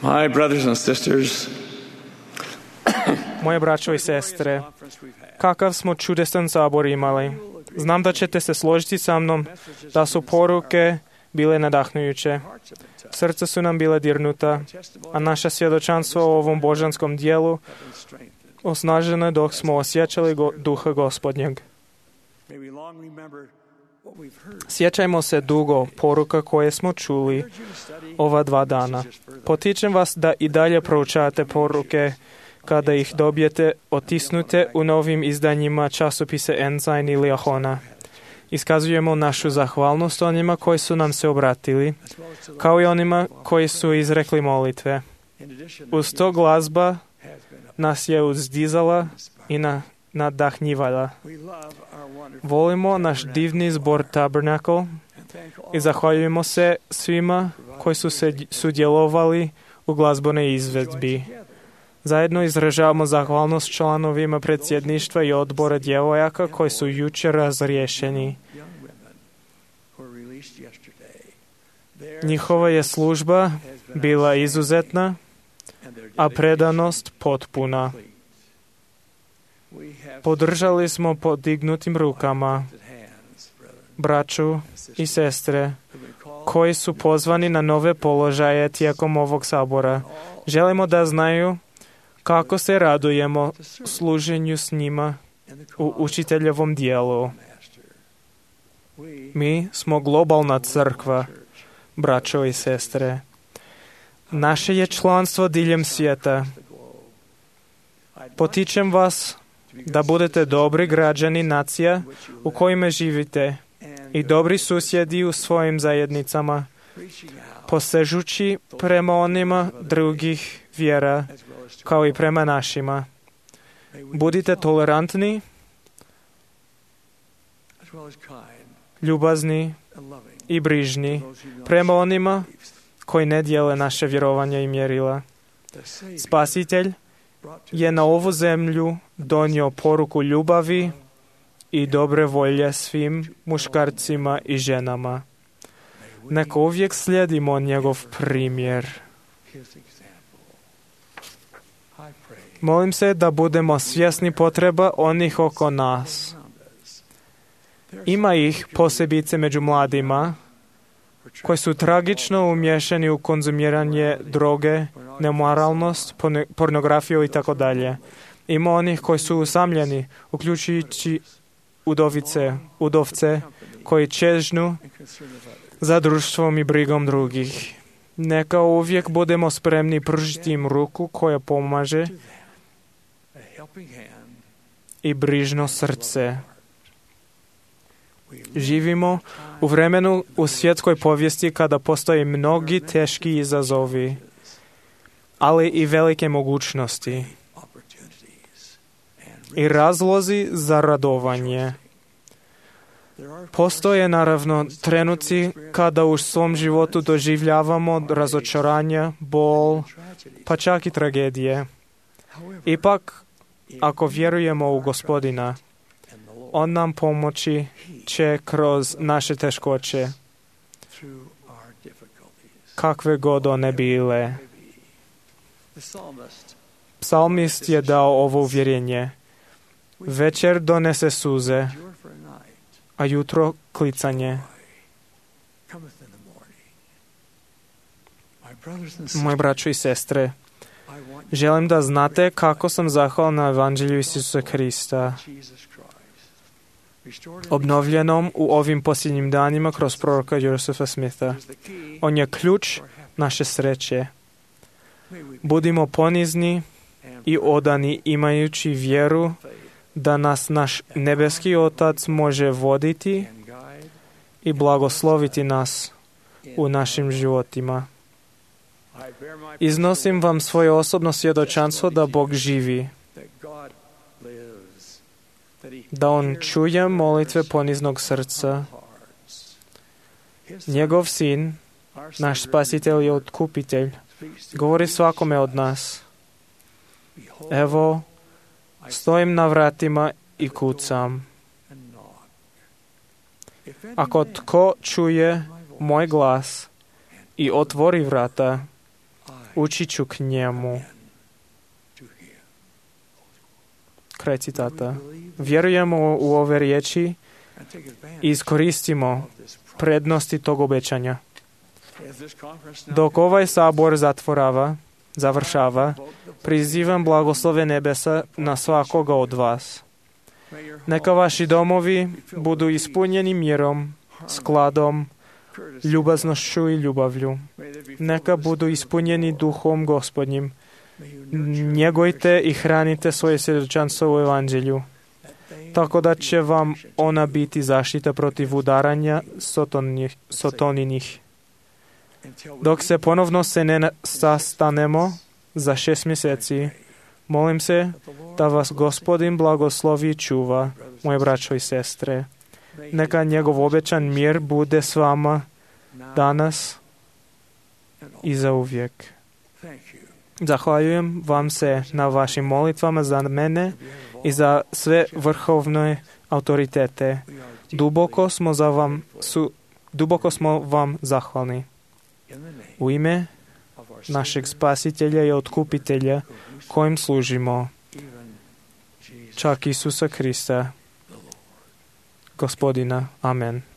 My brothers and sisters, Moje braćo i sestre, kakav smo čudesan sabor imali. Znam da ćete se složiti sa mnom da su poruke bile nadahnujuće. Srca su nam bila dirnuta, a naša svjedočanstvo o ovom božanskom dijelu osnaženo je dok smo osjećali duha Gospodnjeg. Sjećajmo se dugo poruka koje smo čuli ova 2 dana. Potičem vas da i dalje proučavate poruke kada ih dobijete otisnute u novim izdanjima časopise Ensign ili Ahona. Iskazujemo našu zahvalnost onima koji su nam se obratili, kao i onima koji su izrekli molitve. Uz to glazba nas je uzdizala i nadahnjivala. Volimo naš divni zbor Tabernacle i zahvaljujemo se svima koji su se sudjelovali u glazbenoj izvedbi. Zajedno izražavamo zahvalnost članovima predsjedništva i odbora djevojaka koji su jučer razriješeni. Njihova je služba bila izuzetna, a predanost potpuna. Podržali smo podignutim rukama braću i sestre koji su pozvani na nove položaje tijekom ovog sabora. Želimo da znaju kako se radujemo služenju s njima u učiteljevom dijelu. Mi smo globalna crkva, braćo i sestre. Naše je članstvo diljem svijeta. Potičem vas da budete dobri građani nacija u kojima živite i dobri susjedi u svojim zajednicama, posežući prema onima drugih vjera kao i prema našima. Budite tolerantni, ljubazni i brižni prema onima koji ne dijele naše vjerovanja i mjerila. Spasitelj je na ovu zemlju donio poruku ljubavi i dobre volje svim muškarcima i ženama. Neka uvijek slijedimo njegov primjer. Molim se da budemo svjesni potreba onih oko nas. Ima ih posebice među mladima koji su tragično umješani u konzumiranje droge, nemoralnost, pornografiju i tako dalje. Ima onih koji su usamljeni, uključujući udovce koji čežnu za društvom i brigom drugih. Neka uvijek budemo spremni pružiti im ruku koja pomaže i brižno srce. Živimo u vremenu u svjetskoj povijesti kada postoje mnogi teški izazovi, ali i velike mogućnosti i razlozi za radovanje. Postoje naravno trenuci kada u svom životu doživljavamo razočaranja, bol, pa čak i tragedije. Ipak, ako vjerujemo u Gospodina, On nam pomoći će kroz naše teškoće, kakve god one bile. Psalmist je dao ovo uvjerenje. Večer donese suze, a jutro klicanje. Moji braćo i sestre, želim da znate kako sam zahvalan na Evanđelju Isusa Krista, obnovljenom u ovim posljednjim danima kroz proroka Josefa Smitha. On je ključ naše sreće. Budimo ponizni i odani imajući vjeru da nas naš nebeski Otac može voditi i blagosloviti nas u našim životima. Iznosim vam svoje osobno svjedočanstvo da Bog živi, da On čuje molitve poniznog srca. Njegov sin, naš spasitelj i otkupitelj, govori svakome od nas. Evo, stojim na vratima i kucam. Ako tko čuje moj glas i otvori vrata, ući ću k njemu. Kraj citata. Vjerujemo u ove riječi i iskoristimo prednosti tog obećanja. Dok ovaj sabor završava, prizivam blagoslove nebesa na svakoga od vas. Neka vaši domovi budu ispunjeni mirom, skladom, ljubaznošću i ljubavlju. Neka budu ispunjeni duhom Gospodnjim. Njegujte i hranite svoje svjedočanstvo u evanđelju, tako da će vam ona biti zaštita protiv udaranja sotoninih. Dok se ponovno ne sastanemo za 6 mjeseci, molim se da vas Gospodin blagoslovi i čuva, moje braćo i sestre. Neka njegov obećan mir bude s vama danas i zauvijek. Zahvaljujem vam se na vašim molitvama za mene i za sve vrhovne autoritete. Duboko smo vam zahvalni. U ime našeg Spasitelja i Otkupitelja, kojim služimo, čak Isusa Krista, Gospodina. Amen.